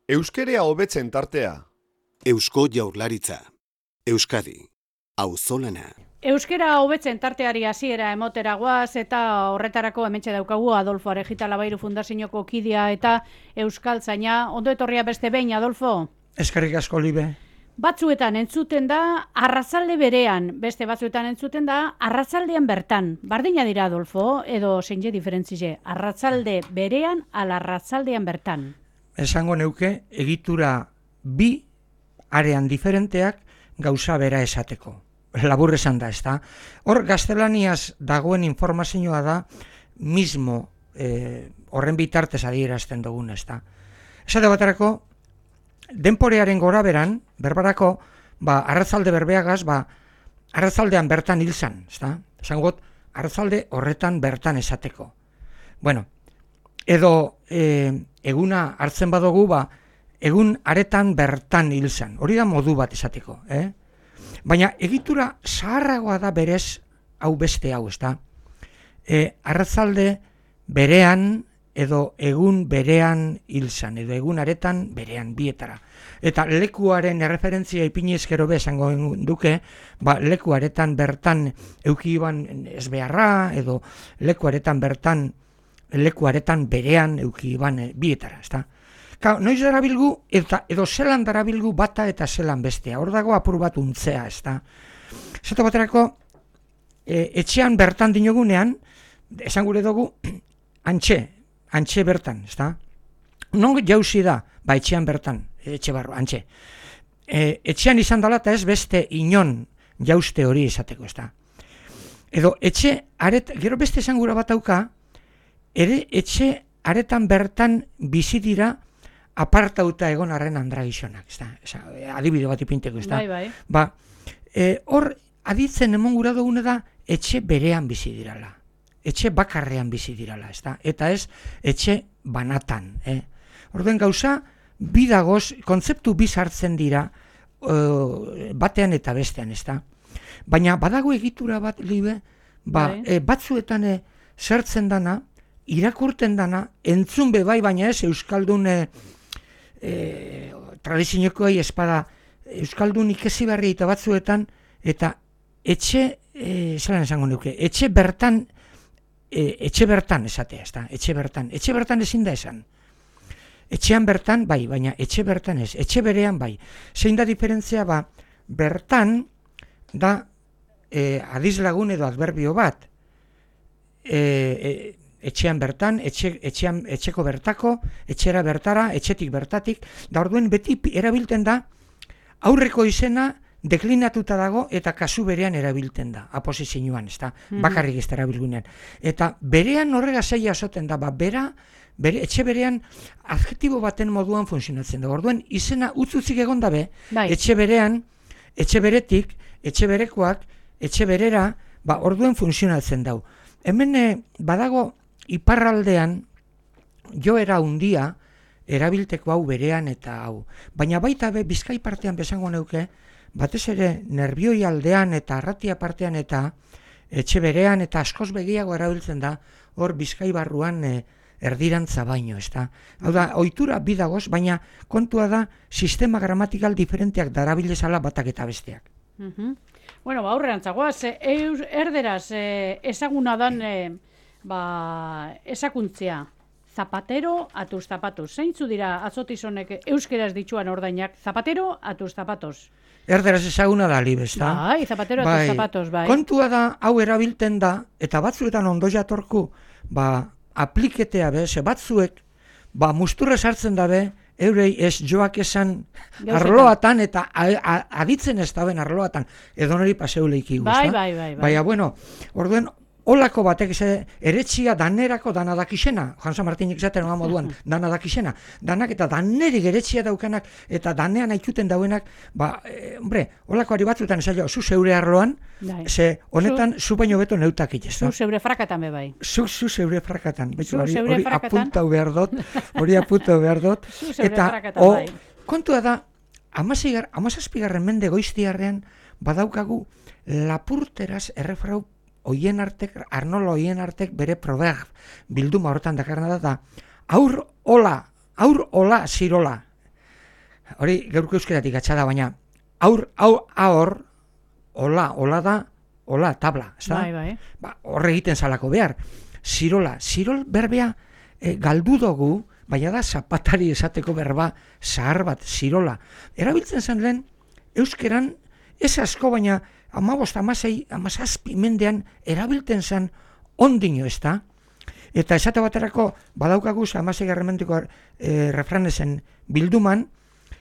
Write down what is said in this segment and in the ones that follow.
Euskerea hobetzen tartea. Eusko Jaurlaritza. Euskadi. Auzolana. Euskera hobetzen tarteari hasiera emotera goaz eta horretarako hementxe daukagu Adolfo Arejita Labairu Fundazioko kidea eta euskaltzaina. Ondo etorria beste behin, Adolfo? Eskerrik asko, Libe. Batzuetan entzuten da arratzalde berean, beste batzuetan entzuten da arratzaldean bertan. Bardina dira, Adolfo, edo zein diferentzize, arratzalde berean ala arratzaldean bertan. Esango neuke egitura bi arean diferenteak gauza bera esateko. Labur esan da, ezta? Hor gaztelaniaz dagoen informazioa da mismo horren bitartez adierazten dugun, ezta? Esate baterako, denporearen gora beran, berbarako, arratzalde berbeagaz, arratzaldean bertan hilzan, ezta? Esangot, arratzalde horretan bertan esateko. Bueno, edo eguna hartzen badugu, egun aretan bertan hilzan. Hori da modu bat esateko, Baina egitura zaharragoa da berez hau beste hau, ezta? Arratzalde berean edo egun berean hilzan, edo egun aretan berean bietara. Eta lekuaren erreferentzia ipini ezkero esango duke, leku aretan bertan eukiban ez beharra, edo leku aretan bertan, leku aretan berean eukiban bietara, ezta? Noiz darabilgu, edo zelan darabilgu bata eta zelan bestea. Hor dago apur bat untzea, ezta. Zato baterako, etxean bertan dinogunean, esan gure dugu, antxe bertan, ezta. Non jauzi da, etxean bertan, etxe barro, antxe. Etxean izan dela eta ez beste inon jauzte hori esateko, ezta. Edo gero beste esan gura bat auka, ere etxe aretan bertan bizi dira apartauta egon arren andragizonak, adibide bat ipinteko, hor aditzen emon gura dugune da etxe berean bizi dirala, etxe bakarrean bizi dirala, eta ez etxe banatan. Orduen gauza, bidagoz, kontzeptu bizartzen dira batean eta bestean, baina badago egitura bat, Libe, batzuetan zertzen dana, irakurten dana, entzun bai, baina ez euskaldun tradiziokoei espada euskaldun ikesi barri eta batzuetan, eta zelan esango nuke, etxe bertan esatea, etxe bertan ezin da esan. Etxean bertan bai, baina etxe bertan ez, etxe berean bai. Zein da diferentzia bertan da adizlagun edo adverbio bat, etxean bertan, etxeko bertako, etxera bertara, etxetik bertatik, da orduen beti erabilten da, aurreko izena deklinatuta dago eta kasu berean erabilten da, aposizioan, bakarrik ez da erabilgunean. Eta berean horrega zaila esaten da, etxe berean adjektibo baten moduan funtzionatzen da. Orduen izena utzuzik egon dabe, etxe berean, etxe beretik, etxe berekoak, etxe berera, orduen funtzionatzen dau. Hemen badago iparraldean joera hundia erabilteko hau berean eta hau. Baina baita Bizkai partean besango neuke, batez ere nerbioi aldean eta arratia partean eta etxe berean eta askoz begiago erabiltzen da hor Bizkai barruan erdirantza baino, Hau da, ohitura bidagoz, baina kontua da sistema gramatikal diferenteak darabilezala batak eta besteak. Bueno, aurrerantzagoaz, erderaz ezaguna dan esakuntzia, zapatero a tus zapatos. Zeintzu dira atzotizonek euskeraz dituan ordainak, zapatero a tus zapatos. Erderaz ezaguna da, Libe, ezta? Bai, zapatero a tus zapatos, bai. Kontua da, hau erabilten da, eta batzuetan ondo jatorku, apliketea batzuek, musturra sartzen dabe, eurei ez joak esan arloatan eta aditzen ez daben arloatan, edo nori paseuleiki guzta. Bai. Baina, bueno, orduen, olako batek eretxia danerako danadakizena, Jansa Martinek zaten oa moduan danadakizena, danak eta danerik eretxia daukanak eta danean aikuten dauenak, olakoari batzuetan esaio, zu zeure arloan, ze honetan zu baino beto neutakit, ez da? Zu zeure frakatan bebai. Zu zeure frakatan, hori apuntau behar dut, eta kontua da, 17. mende goiztiarrean badaukagu lapurteraz errefrau Arnolo Oienartek bere bilduma horretan dakarna da, aur hola zirola, hori gaurko euskeratik atxada, baina aur, hola da, hola tabla, ez da? Bai. Ba, horre egiten zalako behar. Zirol berbea galdu dugu, baina da zapatari esateko berba zahar bat, zirola. Erabiltzen zen lehen, euskeran, ez asko, baina 15-16 mendean erabiltzen zen ondino, ez da? Eta esate baterako, badaukagu 16 mendeko refranezen bilduman,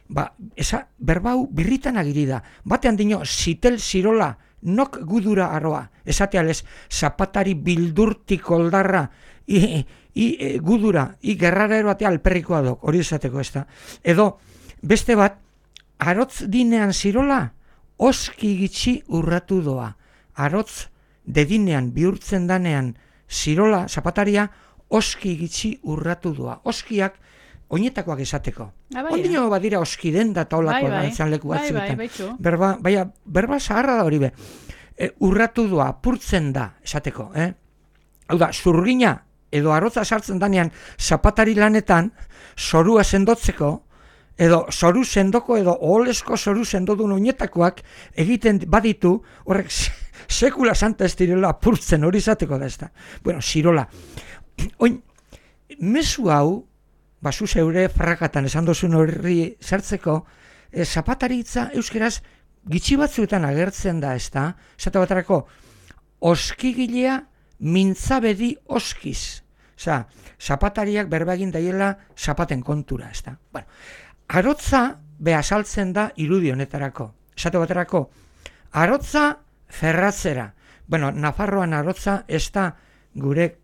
berbau birritan agiri da. Batean dino, zitel zirola, nok gudura aroa. Esatealez, zapatari bildurtik oldarra, gudura, gerrarero atea alperrikoa dok, hori esateko ez da. Edo, beste bat, arotz dinean zirola, oski gitxi urratu doa. Arotz dedinean bihurtzen danean zirola, zapataria, oski gitxi urratu doa. Oskiak, oinetakoak esateko. Ondino badira oski den da taulako dantzan leku batzuetan. Berba zaharra da hori be. Urratu doa, apurtzen da esateko. Hau da, zurgina edo arotza sartzen danean zapatari lanetan, zorua sendotzeko, edo zoru sendoko edo oholesko zoru sendodun oinetakoak egiten baditu, horrek sekula santa ez direla apurtzen hori izateko da ez da. Bueno, zirola. Oin, mezu hau, basu zeure frakatan esan dozun horri zertzeko, zapataritza euskeraz gitxi batzuetan agertzen da ez da, esate baterako, oskigilea mintzabedi oskiz. Osa, zapatariak berba egin daiela zapaten kontura, ez da. Bueno, arotza behasaltzen da irudi honetarako. Esate baterako, arotza ferratzera. Bueno, Nafarroan arotza ez da gure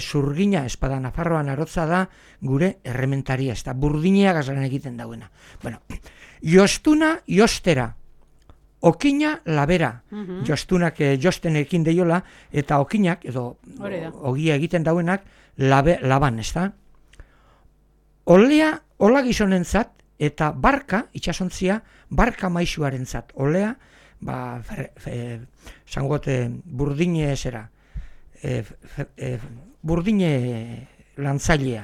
zurgina espada, Nafarroan arotza da gure errementaria, ez da burdinea gazaren egiten dauena. Bueno, jostuna jostera, okina labera, jostunak jostenekin deiola, eta okinak, edo ogia egiten dauenak, laban, ez da? Olea, ola gizonentzat, eta barka, itxasontzia, barka maisuarentzat. Olea, zangote, burdine zera, burdine lantzailea.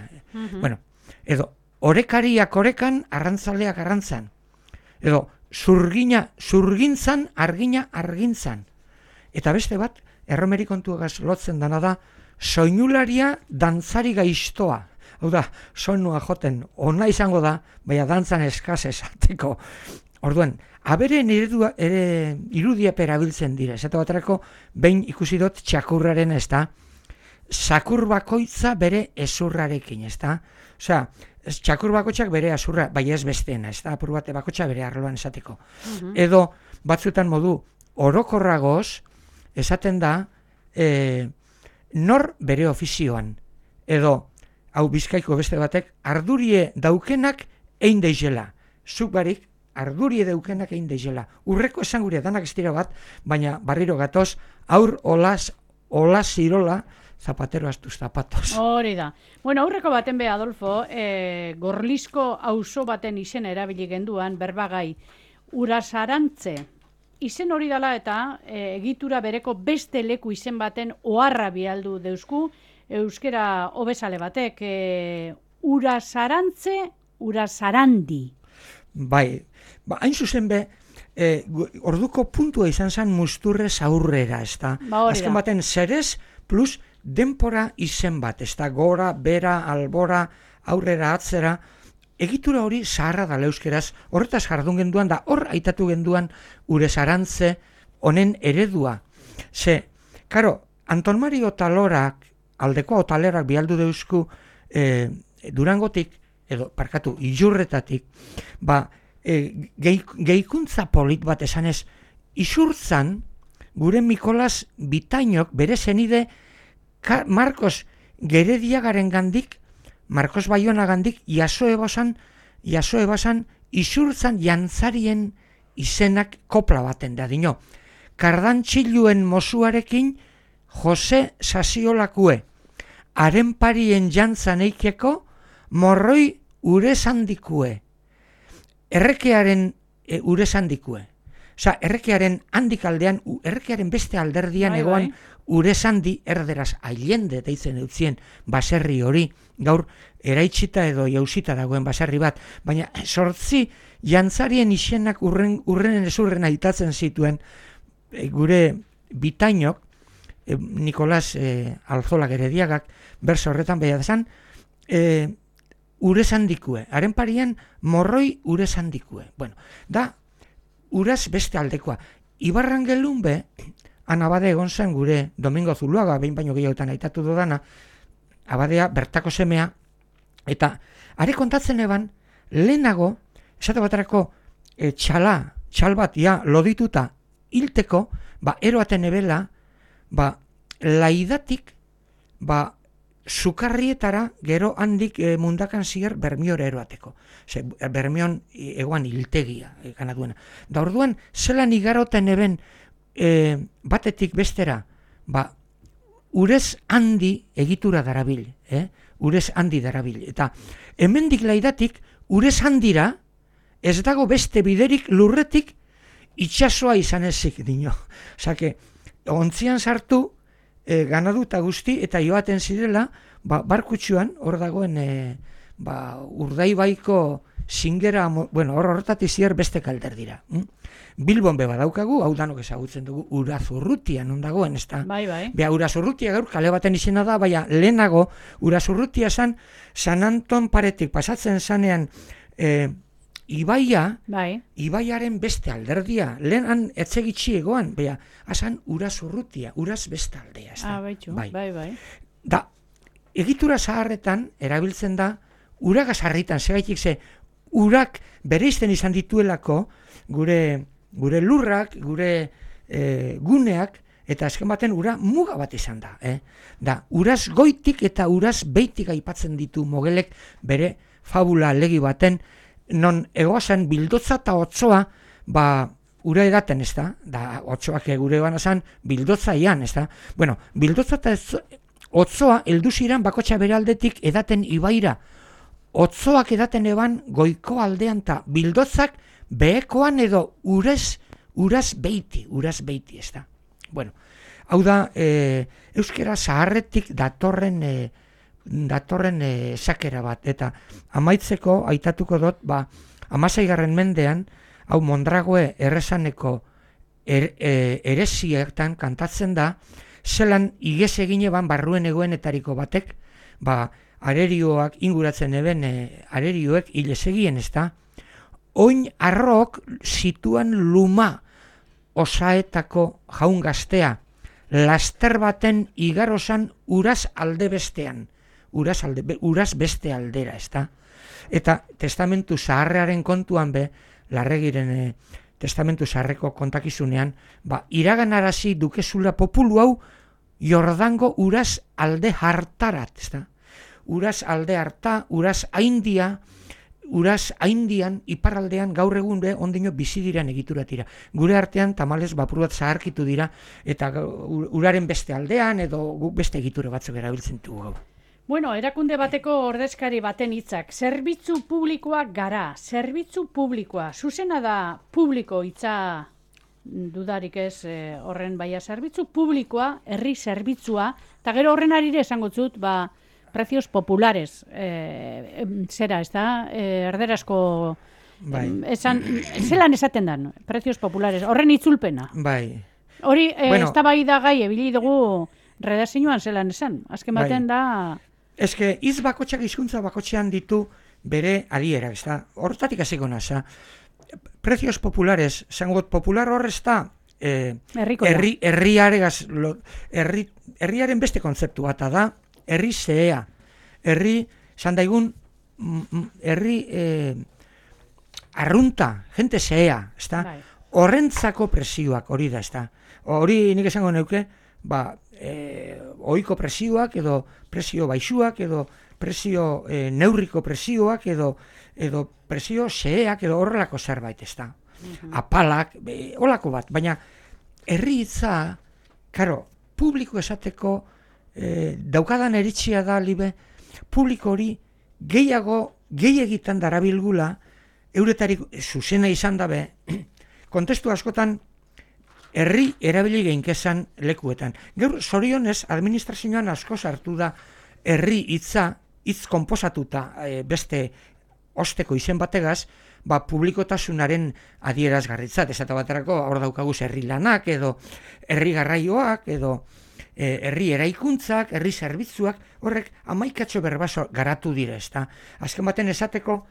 Bueno, edo, orekariak orekan, arrantzaleak arrantzan. Edo, zurgintzan, argina argintzan. Eta beste bat, erromeri kontuagaz lotzen dana da, soinularia dantzari gaiztoa. Hau da, soinua joten ona izango da, baina dantzan eskaz esateko. Orduan, aberen irudiap erabiltzen dira. Esate baterako, behin ikusi dut txakurraren ez da, zakur bakoitza bere ezurrarekin, ez da? Osea, txakur bakoitzak bere azurra, bai ez besteena, ez da? Apur bate bakoitza bere arloan esateko. Edo, batzuetan modu, orokorragoz, esaten da, nor bere ofizioan. Edo, hau Bizkaiko beste batek, ardurie daukenak egin deizela. Zuk barik, ardurie daukenak egin deizela. Urreko esan gure danak ez dira bat, baina barriro gatoz, aur ola zirola, zapatero astuz zapatos. Hori da. Bueno, aurreko baten be, Adolfo, Gorlizko auzo baten izen erabili genduan, berbagai, Urasarantze. Izen hori dela eta egitura bereko beste leku izen baten oharra bialdu deusku, euskera hobesale batek, Urasarantze, Urasarandi. Bai, hain zuzen be, orduko puntua izan zen musturrez aurrera, ez da? Azken baten zerez plus denpora izen bat, ez da? Gora, bera, albora, aurrera, atzera, egitura hori zaharra da euskeraz, horretaz jardun genduan da, hor aitatu genduan Urasarantze honen eredua. Ze, karo, Anton Mario Otalorak, aldeko Otalerak bialdu deusku Durangotik, edo, parkatu, Ilurretatik, gehikuntza polit bat esanez, isurtzan, gure Mikolas Bitainok bere zenide Marcos Gerediagaren gandik, Marcos Bayona gandik, jaso ebasan, isurtzan jantzarien izenak kopla baten da dino. Kardantxiluen mozuarekin Jose Sasiolakue, haren parien jantzan eikeko, morroi urezandikue, errekearen urezandikue. Osa, errekearen handik aldean, errekearen beste alderdian Bai, egoan bai. Urezandi erderaz Allende deitzen eutzien baserri hori, gaur eraitsita edo jausita dagoen baserri bat, baina 8 jantzarien izenak urrenen ezurren aitatzen zituen gure bitainok, Nikolas Alzola Gerediagak, berso horretan behar desan, Urezandikue, haren parian morroi Urezandikue. Bueno, da, uraz beste aldekoa. Ibarrangelun be, Abade egon zen gure Domingo Zuluaga, behin baino gehiagotan aitatu dudana, abadea bertako semea, eta are kontatzen eban, lehenago, esate baterako txal bat, lodituta hilteko, eroaten ebela, laidatik, sukarrietara gero handik mundakan zier Bermiora eroateko. Bermion egoan hiltegia gana duena. Da orduan, zelan igaroten eben batetik bestera, urez handi egitura darabil, urez handi darabil. Eta hemendik laidatik, urez handira, ez dago beste biderik lurretik itxasoa izan ezik dino. Osake, ontzian sartu, ganadu eta guzti, eta joaten zirela, barkutsuan, hor dagoen, Urdaibaiko zingera, horretatik zier beste kalder dira. Bilbon beba daukagu, hau danok ezagutzen dugu, Urazurrutia non dagoen, ez da? Bai. Bea, Urazurrutia gaur kale baten izena da, baina lehenago, Urazurrutia zan, San Anton paretik pasatzen zanean, Ibaia, Ibaiaren beste alderdia, lehenan etzegitxi egoan, bea, azan Urazurrutia, Uraz beste aldea, ez da? Bai. Da, egitura zaharretan, erabiltzen da, uragaz harritan, segaitik ze, urak bereizten izan dituelako, gure lurrak, gure guneak, eta azken baten ura muga bat izan da. Da, uraz goitik eta uraz beitik aipatzen ditu mogelek bere fabula legi baten, non egoazan bildotza eta otzoa, ura edaten, ez da? Da, otzoak gure egoan azan, bildotza ian, ez da? Bueno, bildotza eta otzoa elduziran bakotxa bere aldetik edaten ibaira. Otzoak edaten eban goiko aldean eta bildotzak behekoan edo uraz beiti, ez da? Bueno, hau da, euskera zaharretik datorren esakera bat, eta amaitzeko aitatuko dut, 16. mendean, hau Mondragoe errezaneko eresietan kantatzen da, zelan igez egine ban barruen egoenetariko batek, arerioak inguratzen eben, arerioek hilez egien, ez da? Oin arrok zituan luma osaetako jaun gaztea, laster baten igarosan uraz alde bestean, uraz beste aldera, ez da? Eta testamentu zaharrearen kontuan be, Larregiren testamentu zaharreko kontakizunean, iraganarazi dukezula populu hau Jordango uraz alde hartarat, ez da? Uraz alde harta, uraz haindian, iparraldean gaur egun be ondino bizi diran egituratira. Gure artean tamalez bapur bat zaharkitu dira, eta uraren beste aldean, edo beste egitura batzuk erabiltzen dugu gaur. Bueno, erakunde bateko ordezkari baten hitzak, zerbitzu publikoak gara, zerbitzu publikoa, zuzena da publiko hitza dudarik ez horren baia zerbitzu publikoa, herri zerbitzua, eta gero horren arire esango zut, precios populares, zera, ez da, erderazko, zelan esaten dan, precios populares, horren itzulpena. Hori, ez da bai da gai, ebili dugu redazioan zelan esan, azken baten da... Ezke, hitz bakotxak hizkuntza bakotxean ditu bere adiera, ez da, horretatik hasiko nasa. Precios populares, zangot popular horrez da, herriaren beste kontzeptu bat da, herri zehea, zandaigun, herri arrunta, jente zehea, ez da, horrentzako presioak hori da, ez da. Hori nik esango neuke, oiko presioak, edo presio baixuak, edo presio neurriko presioak, edo presio xeak, edo horrelako zerbait, ez da. Apalak, holako bat, baina herri hitza, karo, publiko esateko daukadan eritzia da, libe, publiko hori gehiagitan darabilgula, euretarik zuzena izan dabe, kontestu askotan herri erabili geinkezan lekuetan. Gaur zorionez administrazioan asko sartu da herri hitz konposatuta beste osteko izen bategaz, publikotasunaren adierazgarritzat, esate baterako hor daukagu herri lanak edo herri garraioak edo herri eraikuntzak, herri zerbitzuak, horrek hamaikatxo berbaso garatu dira, ezta. Azken baten esateko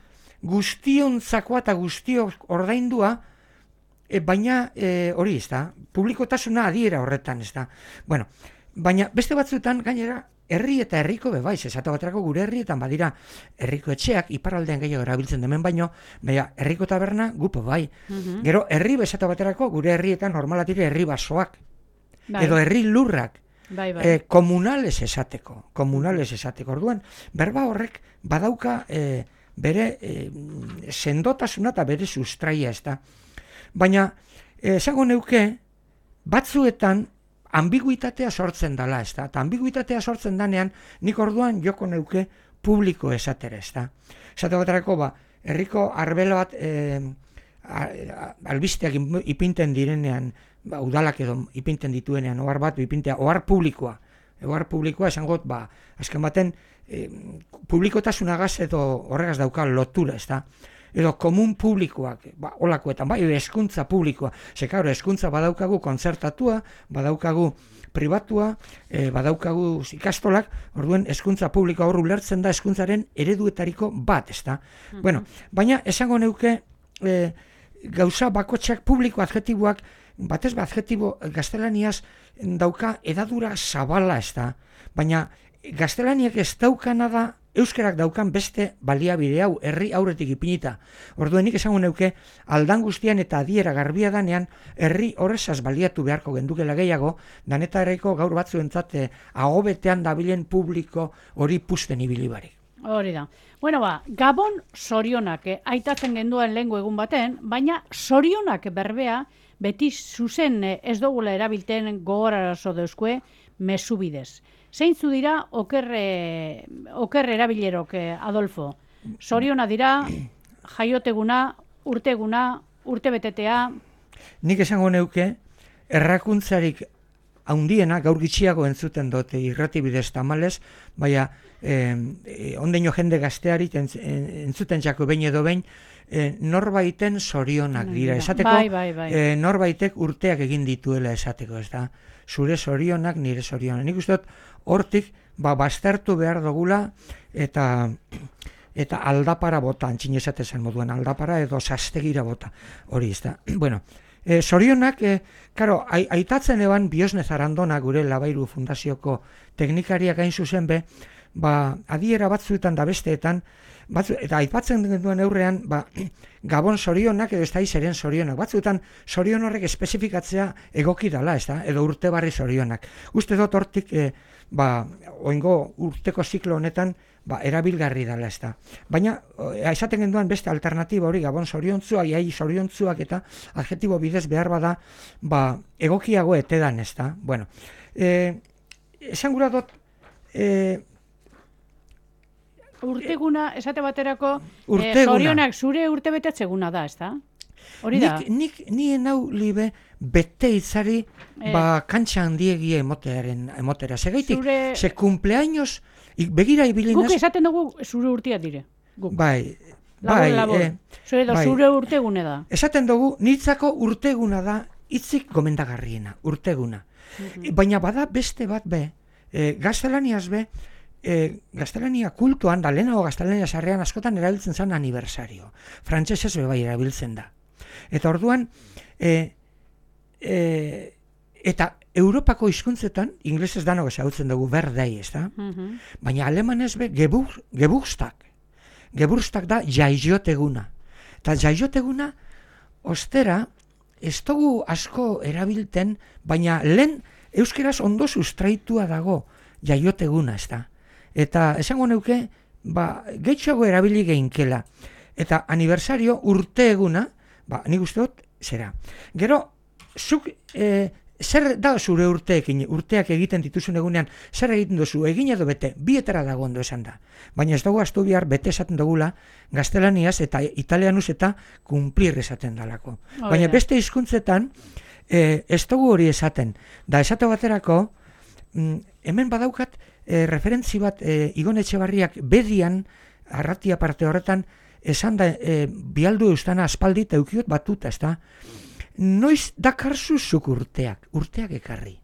guztiontzakoa eta guztiok ordaindua, baina hori, ezta, publikotasuna adiera horretan, ezta. Bueno, baina beste batzuetan gainera herri eta herriko bebaiz, esate baterako gure herrietan badira herriko etxeak, iparraldean gehiago erabiltzen demen baino, baina herriko taberna gupo bai. Gero herri esate baterako gure herrietan normalatire herri basoak, edo herri lurrak, komunales esateko. Orduan, berba horrek badauka bere sendotasuna eta bere sustraia, ezta. Baina, esango neuke, batzuetan ambiguitatea sortzen dela, ezta. Eta ambiguitatea sortzen danean, nik orduan joko neuke publiko esatera, ezta. Esate baterako, herriko arbela bat albisteak ipinten direnean, udalak edo ipinten dituenean, ohar bat ipintea, ohar publikoa. Ohar publikoa esangot, azken baten, publikotasunagaz edo horregaz dauka lotura, ezta. Edo komun publikoak, holakoetan, hezkuntza publikoa. Zekaro, hezkuntza badaukagu kontzertatua, badaukagu pribatua, badaukagu ikastolak, orduen hezkuntza publikoa hor ulertzen da hezkuntzaren ereduetariko bat, ezta. Bueno, baina esango neuke gauza bakotxak publiko adjetiboak, batez adjetibo gaztelaniaz dauka edadura zabala, ezta. Baina gaztelaniak ez daukana da euskarak daukan beste baliabide hau, herri aurretik ipinita. Orduen nik esango neuke, aldan guztian eta adiera garbia danean, herri horrezaz baliatu beharko gendukela gehiago, danetareiko gaur batzuentzat agobetean dabilen publiko hori pusten ibili barik. Hori da. Bueno, Gabon sorionak aitatzen genduen lehengo egun baten, baina sorionak berbea beti zuzen ez dugula erabilten gogorarazo deuskue mezu bidez. Zeintzu dira oker erabilerok, Adolfo? Soriona dira, jaioteguna, urteguna, urtebetetea? Nik esango neuke, errakuntzarik haundiena, gaur gitxiago entzuten dute irratibidez tamalez, baina ondeino jende gazteari entzuten jako behin edo behin, norbaiten sorionak dira. Esateko, norbaitek urteak egin dituela esateko, ez da? Zure sorionak, nire sorionak. Nik uste dut, hortik, baztertu behar dugula, eta aldapara bota, antxin esatezen moduen, aldapara edo sastegira bota. Hori, ez da. Bueno, sorionak, aitatzen eban Biosne Zarandona gure Labairu Fundazioko teknikariak hain zuzen be, adiera batzuetan da besteetan, eta aipatzen duen eurrean, Gabon sorionak edo ez da izeren sorionak. Batzuetan sorion horrek espezifikatzea egoki dala, ez da, edo urte barri sorionak. Uste dut hortik, oingo urteko ziklo honetan, erabilgarri dala, ez da. Baina, esaten genduan beste alternatiba hori, Gabon soriontzuak, iai soriontzuak eta adjetibo bidez behar bada, egokiago etedan, ez da. Bueno, esan gura dut, urteguna, esate baterako, sorionak zure urte betetzeguna da, ez da? Hori da? Nien hau libe bete itzari kantxa handiegia emotera. Segaitik, ze cumpleaños, begira ibilinaz... Guk esaten dugu zure urtia dire. Bai. Zure urtegune da. Esaten dugu, nitzako urteguna da, hitzik gomendagarriena, urteguna. Baina bada beste bat be, gaztelaniaz be, gaztelania kultuan, da lehenago gaztelania sarrean askotan erabiltzen zen aniversario. Frantsesez bai erabiltzen da. Eta orduan, eta Europako hizkuntzetan, inglesez danok ezagutzen dugu birthday, ez da? Baina alemanez be, Geburtstag. Geburtstag da jaioteguna. Eta jaioteguna, ostera, ez dugu asko erabilten, baina lehen euskeraz ondo sustraitua dago jaioteguna, ez da? Eta esango neuke, gehitxoago erabili geinkela. Eta aniversario urte eguna, nik uste dut, zera. Gero, zuk zer da zure urteekin, urteak egiten dituzun egunean, zer egiten duzu, egin edo bete, bietara dago ondo esan da. Baina ez dago astu bihar bete esaten dugula, gaztelaniaz eta italianuz eta kumplir esaten dalako. Baina beste hizkuntzetan ez dugu hori esaten. Da esate baterako, hemen badaukat referentzi bat Igon Etxebarriak bedian, arratia parte horretan, esan da bialdu eustana aspaldi eta eukiot batuta, ez da? Noiz dakarzuzuk urteak ekarri.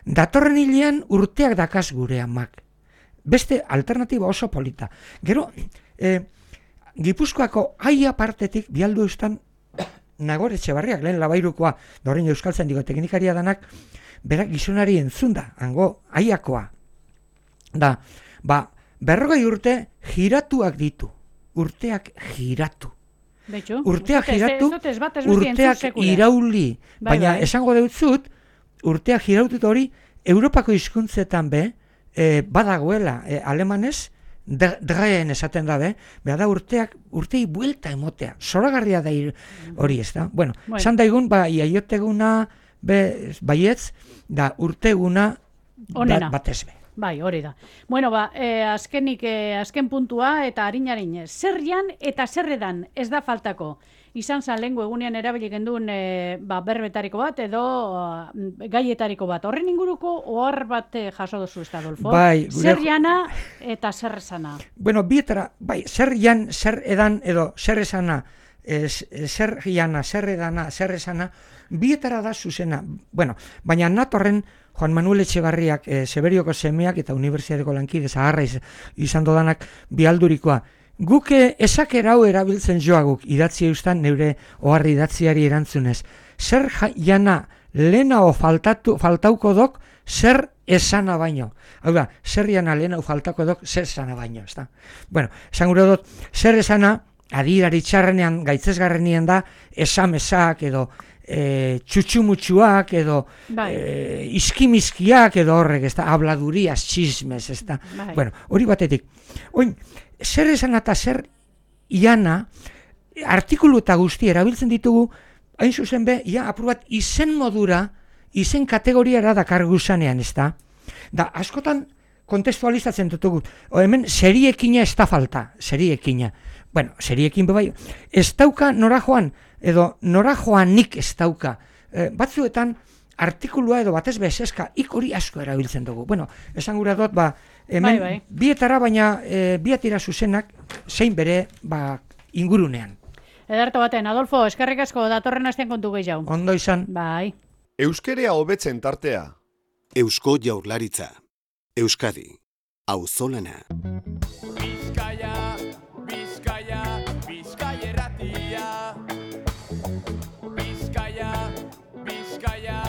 Datorren hilean urteak dakaz gure amak. Beste alternatiba oso polita. Gero, Gipuzkoako aia partetik bialdu eustan Nagore Etxebarriak, lehen Labairukoa, dorrein euskaltzen digo teknikaria danak, berak gizonari entzunda, hango aiakoa. Da, 40 urte giratuak ditu. Urteak giratu. Betxu, urteak giratu, urteak irauli. Baina esango deutzut, urteak girautut hori, Europako hizkuntzetan badagoela, alemanez, dreen esaten dabe, da urtei buelta emotea. Zoragarria da hori ez da. Bueno, esan daigun, iaioteguna, baietz, da urteguna batez be. Bai, hori da. Bueno, azken puntua eta harin, zerrian eta zerredan ez da faltako. Izan zan lehengo egunean erabili genduen berbetariko bat edo gaietariko bat. Horren inguruko ohar bat jaso duzu, ez da, Adolfo? Bai. Zerriana eta zerrezana. Bueno, bietara, zerrian, zer edan edo zerrezana, zerriana, zerredana, zerrezana, bietara da zuzena. Bueno, baina natorren Juan Manuel Etxebarriak, Seberioko semeak eta Unibertsitateko lankide zaharra izan dodanak bialdurikoa. Guk esaker hau erabiltzen joaguk idatzi eustan neure oharri idatziari erantzunez. Zer jana lehenao faltauko dok, zer esana baino. Hau da, zer jana lehenao faltauko dok, zer esana baino. Ezta? Bueno, esan gure dut, zer esana, adirari txarrenean, gaitzesgarrenien da, esamesak edo txutxumutxuak edo iskimizkiak edo horrek, ez da, habladurias, txismez, ez da. Bueno, hori batetik. Oin, zer esan eta zer iana, artikulu eta guzti erabiltzen ditugu, hain zuzen apur bat izen modura, izen kategoriara dakar guzanean, ez da. Da, askotan kontestualizatzen dutugu. Hemen, seriekina ez da falta, seriekina. Bueno, seriekin bai, ez dauka nora joan, edo nora joanik ez dauka. Batzuetan, artikulua edo batez bezeska, hori asko erabiltzen dugu. Bueno, esan gura dut, hemen bietara, baina biatira zuzenak, zein bere ingurunean. Ederto baten, Adolfo, eskerrik asko datorren astean kontu gehiago. Ondo izan. Bai. Euskerea hobetzen tartea. Eusko Jaurlaritza. Euskadi. Auzolana. Bizkaia